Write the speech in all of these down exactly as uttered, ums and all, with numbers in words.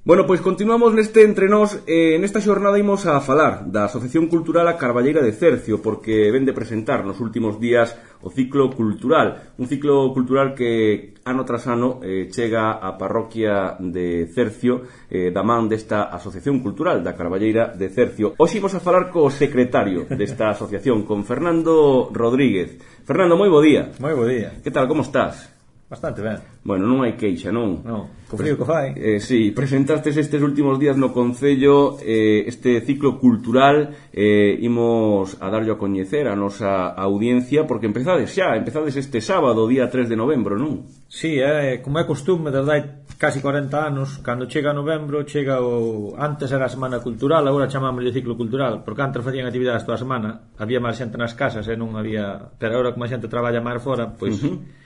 Bueno, pois continuamos neste entre nós. eh, Nesta xornada imos a falar da Asociación Cultural A Carballeira de Cercio, porque ven de presentar nos últimos días o ciclo cultural. Un ciclo cultural que ano tras ano eh, chega á parroquia de Cercio, eh, da man desta Asociación Cultural da Carballeira de Cercio. Hoxe imos a falar co secretario desta asociación, con Fernando Rodríguez. Fernando, moi bo día. Moi bo día. Que tal, como estás? Bastante ben. Bueno, non hai queixa, non? Non, co frío que fai. Eh, sí, presentastes estes últimos días no Concello eh, este ciclo cultural. eh, Imos a darlle a coñecer a nosa audiencia, porque empezades xa, empezades este sábado, día tres de novembro, non? Sí, é, como é costume, desde hai casi corenta anos, cando chega novembro, chega o... Antes era a Semana Cultural, agora chamámoslle ciclo cultural, porque antes facían actividades toda a semana, había máis xente nas casas e non había... Pero agora como a xente traballa máis fora, pois... Uh-huh.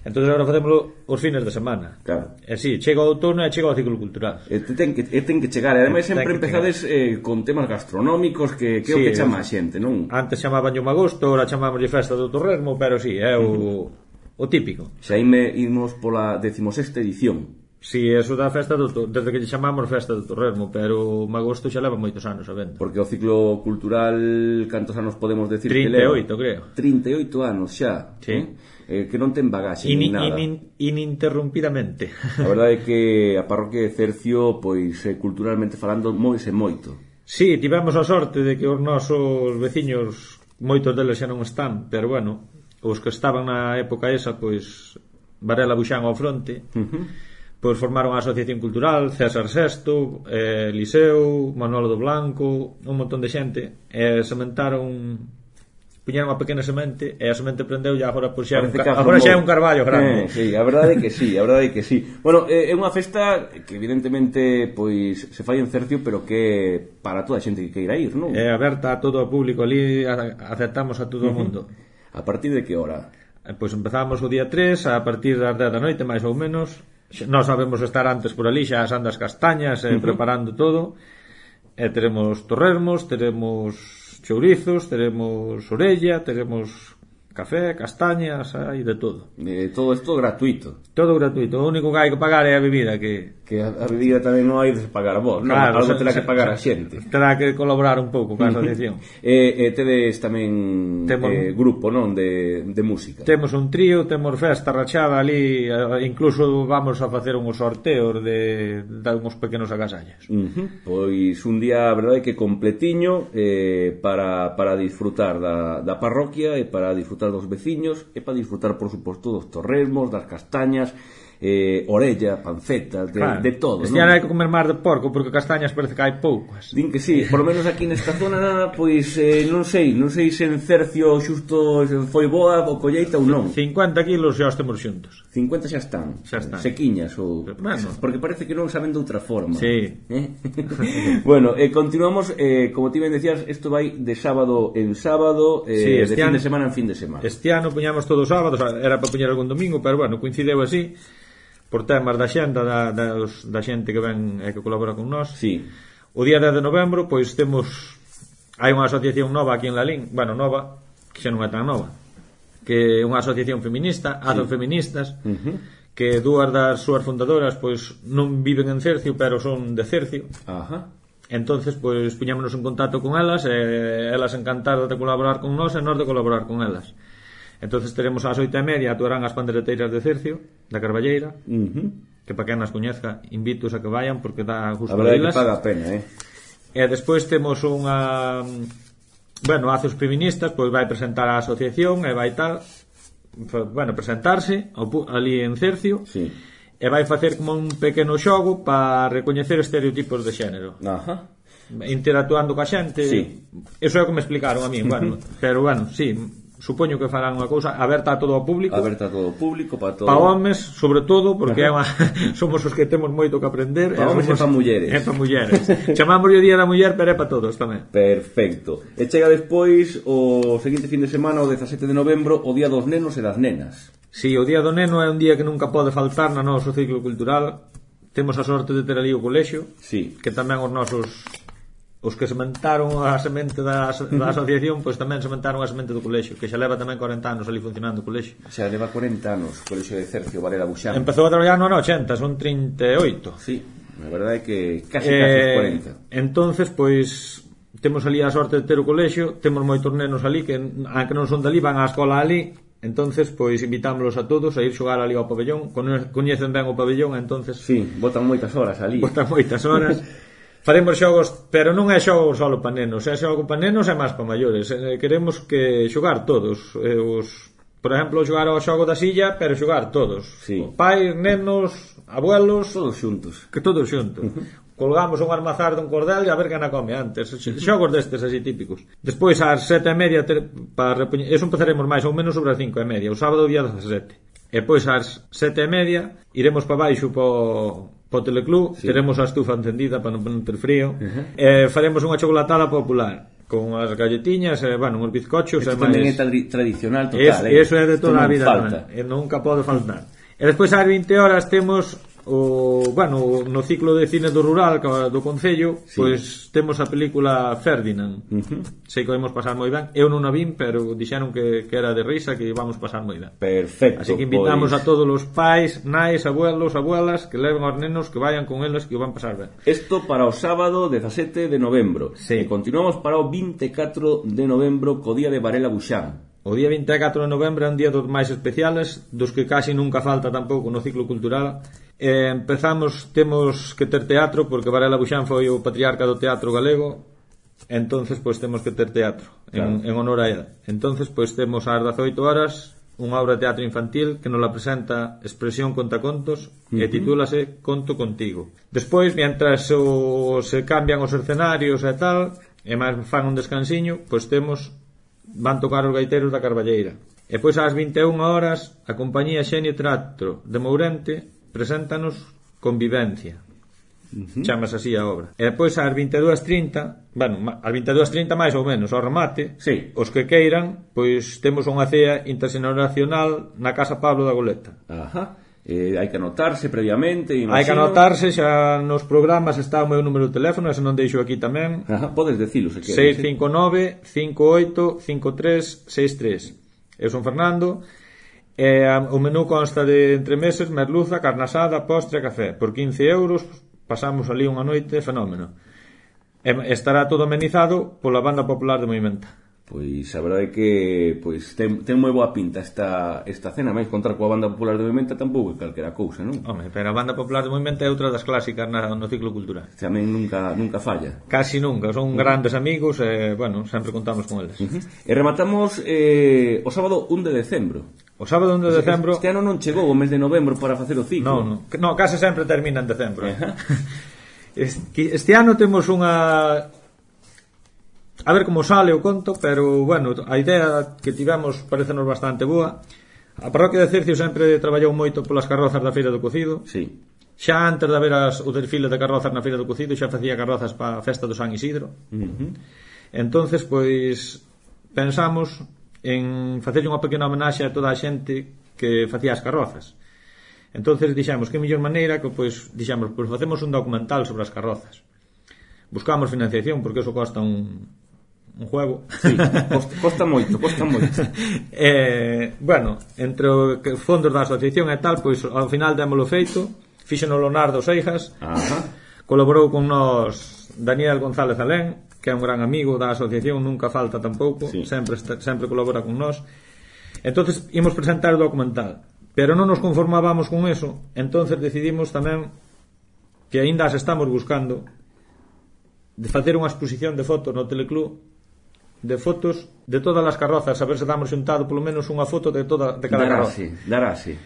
Entón agora facémoslo os fines de semana. Claro. E si, chega o outono e chega o ciclo cultural. E ten que, e ten que chegar, e ademais sempre empezades eh, con temas gastronómicos que, que sí, é o que chama a xente, non? Antes chamaban o magosto, agora chamámoslle festa do Torresmo, pero si, é o, uh-huh. o típico. Xa ime imos pola decimosexta edición. Si, eso da festa do, desde que lle chamamos festa do Torresmo, pero o magosto xa leva moitos anos a venda. Porque o ciclo cultural, cantos anos podemos decir trinta e oito, que leva? creo. trinta e oito anos xa. Sí. Eh? Eh, que non ten bagaxe In, ni nada. In, ininterrumpidamente. A verdade é que a parroquia de Cercio, pois, eh, culturalmente falando, moise moito. Si, sí, tivemos a sorte de que os nosos veciños, moitos deles xa non están, pero bueno, os que estaban na época esa, pois, Varela Buxán ao fronte, uh-huh. pois formaron a Asociación Cultural, César Sesto, eh, Liceo, Manolo do Blanco, un montón de xente, e sementaron... puñeron unha pequena semente e a semente prendeu e agora pois xa un, ca... agora xa é un carballo grande. Eh, sí, a verdade é que sí, a verdade é que sí. Bueno, é unha festa que evidentemente pois se fai en Cercio, pero que para toda a xente que queira ir, non? É aberta a todo o público, ali aceptamos a todo o mundo. A partir de que hora? Pois empezamos o día tres, a partir das dez da noite, máis ou menos. Nós sabemos estar antes por ali, xa asando as castañas, eh, uh-huh. preparando todo. E teremos torresmos, teremos chourizos, teremos orella, teremos café, castañas, hai de todo. Eh, todo isto gratuito. Todo gratuito, o único que hai que pagar é a bebida, que que a, a bebida tamén non hai de pagar vos, non, claro, algo terá que pagar a xente. Terá que colaborar un pouco con a asociación. E eh, eh, tedes tamén temos, eh, grupo, non, de, de música. Temos un trío, temos festa rachada ali, incluso vamos a facer uns sorteos de, de uns pequenos agasallos. Uh-huh. Pois un día, a verdade, que completiño eh, para, para disfrutar da, da parroquia e para disfrutar dos veciños e para disfrutar, por suposto, dos torresmos, das castañas, eh, orella, panceta, de, claro, de todo. Este ano hai que comer máis de porco porque castañas parece que hai poucas. Din que sí, por lo menos aquí nesta zona, pois eh, non sei, non sei se en Cercio xusto foi boa o colleita ou non. cincuenta kilos xa os temos xuntos. cincuenta xa están, xa están. Sequiñas ou bueno. Porque parece que non saben de outra forma. Sí. ¿Eh? Bueno, eh, continuamos, eh, como ti ben decías, isto vai de sábado en sábado, eh, sí, de fin ano, de semana en fin de semana. Este ano puñamos todos os sábados, era para puñar algún domingo, pero bueno, coincideu así por temas da xenda da, da, da xente que ven e que colabora con nós. Sí. O día dez de novembro, pois temos hai unha asociación nova aquí en Lalín, bueno, nova, que xa non é tan nova, que é unha asociación feminista, sí. Azo Feministas, uh-huh. que dúas das súas fundadoras pois non viven en Cercio, pero son de Cercio. Ajá. Entonces, pois puñámonos en contacto con elas, e elas encantadas de colaborar con nós e nós de colaborar con elas. Entonces teremos ás oito e media, actuarán as pandereteiras de Cercio, da Carballeira, uh-huh. que para quen as coñezca, invitos a que vayan porque dá gusto. A verdade é que paga a pena, eh? E despois temos unha... Bueno, Azos Feministas, pois vai presentar a asociación e vai tal... Bueno, presentarse ali en Cercio, sí. E vai facer como un pequeno xogo para recoñecer estereotipos de xénero. Ajá. Interactuando coa xente, sí. Eso é o que me explicaron a mí, bueno, pero bueno, sí, supoño que farán unha cousa aberta a todo o público, aberta a todo o público, para todo, para homes, sobre todo, porque é unha... somos os que temos moito que aprender, para homes e para mulleres, é para mulleres. Chamamos o día da muller, pero é para todos tamén. Perfecto. E chega despois o seguinte fin de semana, o dezasete de novembro, o día dos nenos e das nenas. Si, sí, o día do neno é un día que nunca pode faltar no noso ciclo cultural. Temos a sorte de ter ali o colexio, sí. que tamén os nosos os que sementaron a semente da, da asociación, pois tamén sementaron a semente do colexio, que xa leva tamén corenta anos ali funcionando o colexio. Xa leva corenta anos o colexio de Cercio, Varela Buxán. Empezou a traballar no ano ochenta, son trinta e oito. Sí. A verdade é que casi casi os cuarenta. Entonces, pois temos ali a sorte de ter o colexio, temos moitos nenos ali que, aunque non son dali, van á escola ali. Entonces, pois invitámoslos a todos a ir xogar ali ao pabellón, coñecen ben o pabellón, entonces sí, botan moitas horas ali. Botan moitas horas. Faremos xogos, pero non é xogo solo para nenos, é xogo para nenos e máis para maiores. Queremos que xogar todos, os, por exemplo, xogar ao xogo da silla, pero xogar todos. Sí. Pais, nenos, abuelos, todos xuntos. Que todos xuntos. Uh-huh. Colgamos un armazar dun cordel e a ver quen a come antes. Xogos destes así típicos. Despois ás sete e media ter, para repoñer, eso empezaremos máis ou menos sobre as cinco e media, o sábado día dezasete. E pois ás sete e media iremos para baixo po, po teleclub, sí. Teremos a estufa encendida para non ter frío. Uh-huh. E faremos unha chocolatada popular con as galletiñas, e, bueno, uns bizcochos. Isto tamén máis... é tra- tradicional total, es, eh? Eso é de toda a vida, falta. E nunca pode faltar. E despois ás vinte horas temos o, bueno, no ciclo de cine do rural do Concello, sí. Pois temos a película Ferdinand. Uh-huh. Sei que vamos pasar moi ben. Eu non a vin, pero dixeron que, que era de risa, que íbamos pasar moi ben. Perfecto. Así que invitamos pois... a todos os pais, nais, abuelos, abuelas que leven aos nenos, que vayan con eles, que o van pasar ben. Isto para o sábado dezasete de novembro. Sí. E continuamos para o vinte e catro de novembro co día de Varela Buxán. O día vinte e catro de novembro é un día dos máis especiales, dos que casi nunca falta tampouco no ciclo cultural. Eh, empezamos, temos que ter teatro, porque Varela Buxán foi o patriarca do teatro galego, entonces pois temos que ter teatro, claro. en, en honor a ela. Entonces pois temos ás dezoito horas unha obra de teatro infantil que nos la presenta Expresión Contacontos, uh-huh. E titúlase Conto Contigo. Despois, mientras o, se cambian os escenarios e tal, e máis fan un descansiño, pois temos van tocar os gaiteiros da Carballeira. E pois ás vinte e unha horas a compañía Xenio Teatro de Mourente preséntanos Convivencia. Uh-huh. Chamas así a obra. E depois ás vinte e dúas e trinta, bueno, ás vinte e dúas e trinta máis ou menos ao remate, sí. Os que queiran, pois temos unha cea interxeneracional na Casa Pablo da Goleta. Ajá. Eh, hai que anotarse previamente, imagino. Hai que anotarse, xa nos programas está o meu número de teléfono, se non deixo aquí tamén. Ajá, podes decilo se queres. seis cinco nove, cinco oito, cinco tres seis tres. Eu son Fernando. E o menú consta de entremeses, merluza, carne asada, postre e café. Por quince euros pasamos ali unha noite fenómeno. E estará todo amenizado pola Banda Popular de Moimenta. Pois a verdade é que pois ten, ten moi boa pinta esta, esta cena, máis contar coa Banda Popular de Moimenta tampouco é calquera cousa, non? Home, pero a Banda Popular de Moimenta é outra das clásicas na, no ciclo cultural. Tamén nunca, nunca falla. Casi nunca, son uh-huh. grandes amigos e, bueno, sempre contamos con eles. Uh-huh. E rematamos eh, o sábado un de decembro. O sábado un de decembro... Este ano non chegou o mes de novembro para facer o ciclo. Non, non, no, case sempre termina en decembro. Uh-huh. este, este ano temos unha... A ver como sale o conto, pero, bueno, a idea que tivemos parecenos bastante boa. A parroquia de Cercio sempre traballou moito polas carrozas da Feira do Cocido. Sí. Xa antes de haber as, o desfile de carrozas na Feira do Cocido, xa facía carrozas para a festa do San Isidro. Uh-huh. Entonces, pois, pensamos en facer unha pequena homenaxe a toda a xente que facía as carrozas. Entonces dixemos que mellor maneira que, pois, dixemos, pois facemos un documental sobre as carrozas. Buscamos financiación porque eso costa un un juego. Sí, costa, costa moito, costa moito. eh, bueno, entre os fondos da asociación e tal, pois ao final démolo feito, fíxeno Leonardo Seijas. Ajá. Colaborou con nós Daniel González Alén, que é un gran amigo da asociación, nunca falta tampouco, sí. sempre sempre colabora con nós. Entonces imos presentar o documental, pero non nos conformábamos con eso, entonces decidimos tamén que aínda as estamos buscando de facer unha exposición de fotos no teleclub, de fotos de todas as carrozas, a ver se damos xuntado polo menos unha foto de toda de cada carroza. Darase.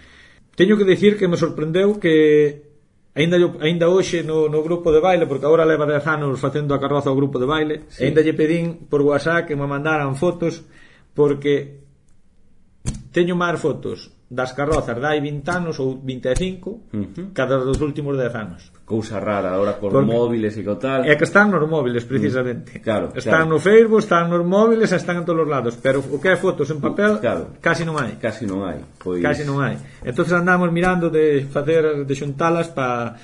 Teño que dicir que me sorprendeu que aínda yo, aínda hoxe no, no grupo de baile, porque agora leva dez anos facendo a carroza ao grupo de baile, sí. Aínda lle pedín por WhatsApp que me mandaran fotos, porque teño máis fotos das carrozas de hai vinte anos ou vinte e cinco, uh-huh. cada dos últimos dez anos. Cousa rara, agora con porque móviles e co tal. É que están nos móviles, precisamente. Mm, claro, están claro. no Facebook, están nos móviles, están en todos os lados, pero o que é fotos en papel, claro. casi non hai. Casi non hai. Pois... Casi non hai. Entonces andamos mirando de facer de xuntalas para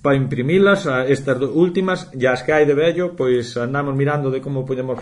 para imprimilas, a estas últimas, e as que hai de vello, pois andamos mirando de como podemos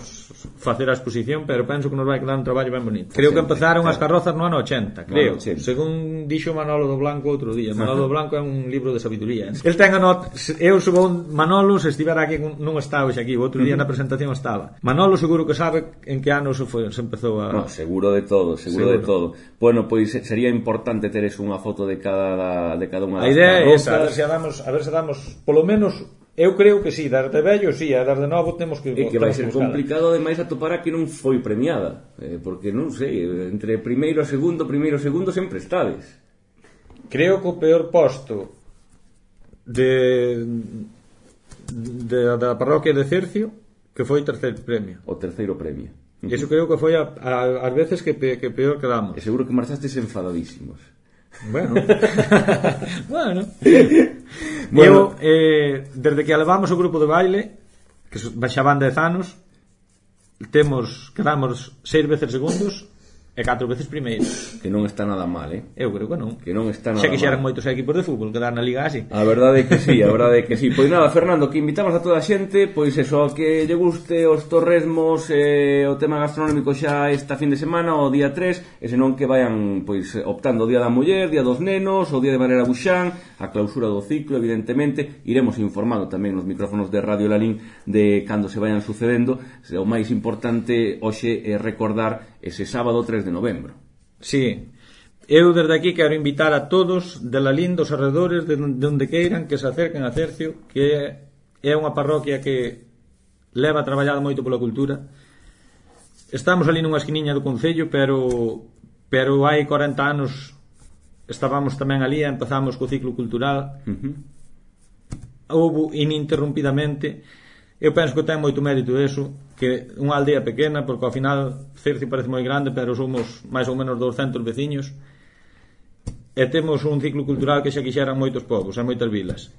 facer a exposición, pero penso que nos vai quedar un traballo ben bonito. Creo que empezaron as carrozas no ano ochenta, creo, según dixo Manolo do Blanco outro día. Manolo do Blanco é un libro de sabiduría. El ten a not... eu según Manolo, se estivera aquí, non está hoxe aquí, o outro día na presentación estaba. Manolo seguro que sabe en que ano se, foi, se empezou a... No, seguro de todo, seguro, seguro de todo. Bueno, pois sería importante teres unha foto de cada de cada unha das carrozas. A idea é esa, a ver se damos, a ver se damos, polo menos, eu creo que sí, dar de vello, sí, a dar de novo temos que... É que vai ser complicado ademais atopar a que non foi premiada, eh, porque non sei, entre primeiro e segundo, primeiro e segundo sempre estades. Creo que o peor posto de, de da parroquia de Cercio, que foi terceiro premio. O terceiro premio. Eso creo que foi a, a, as veces que, pe, que peor quedamos. E seguro que marchastes enfadadísimos. Bueno. bueno. bueno. Eu, eh, desde que alevamos o grupo de baile, que xa van dez anos, temos, quedamos seis veces segundos e catro veces primeiros. Que non está nada mal, eh? Eu creo que non. Que non está nada mal. Xa quixeran mal. Moitos equipos de fútbol quedar na liga así. A verdade é que sí, a verdade é que sí. Pois nada, Fernando, que invitamos a toda a xente, pois eso, a que lle guste os torresmos, eh, o tema gastronómico xa esta fin de semana, o día tres, e senón que vayan pois optando o día da muller, día dos nenos, o día de Valera Buxán, a clausura do ciclo, evidentemente, iremos informando tamén nos micrófonos de Radio Lalín de cando se vayan sucedendo. O máis importante hoxe é recordar ese sábado tres de novembro. Sí, eu desde aquí quero invitar a todos de Lalín, dos arredores, de onde queiran, que se acerquen a Cercio, que é unha parroquia que leva traballado moito pola cultura. Estamos ali nunha esquiniña do concello, pero pero hai corenta anos estábamos tamén ali e empezamos co ciclo cultural. Uh-huh. Houbo ininterrumpidamente. Eu penso que ten moito mérito eso, que unha aldea pequena, porque ao final Cercio parece moi grande, pero somos máis ou menos douscentos veciños, e temos un ciclo cultural que xa quixeran moitos povos e moitas vilas.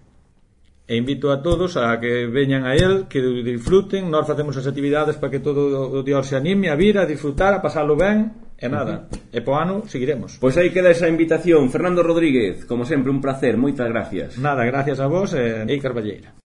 E invito a todos a que veñan a el, que disfruten. Nós facemos as actividades para que todo o dios se anime a vir, a disfrutar, a pasarlo ben, e nada, uh-huh. E po ano seguiremos. Pois aí queda esa invitación. Fernando Rodríguez, como sempre, un placer, moitas gracias. Nada, gracias a vos e Ei Carballeira.